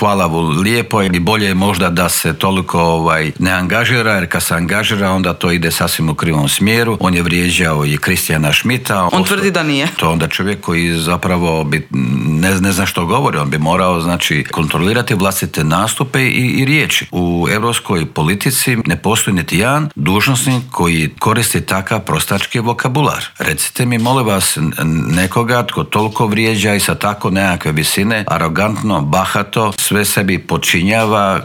hvala lijepo i bolje je možda da se toliko ne angažira, jer kad se angažira onda to ide sasvim u krivom smjeru. On je vrijeđao i Kristijana Schmidta. On tvrdi da nije. To onda čovjek koji zapravo ne zna što govori, on bi morao znači kontrolirati vlastite nastupe i riječi. U europskoj politici ne postoji niti jedan dužnosnik koji koristi takav prostački vokabular. Recite mi, molim vas, nekoga tko toliko vrijeđa i sa tako nekakve visine, arogantno, bahato, sve sebi počinjava,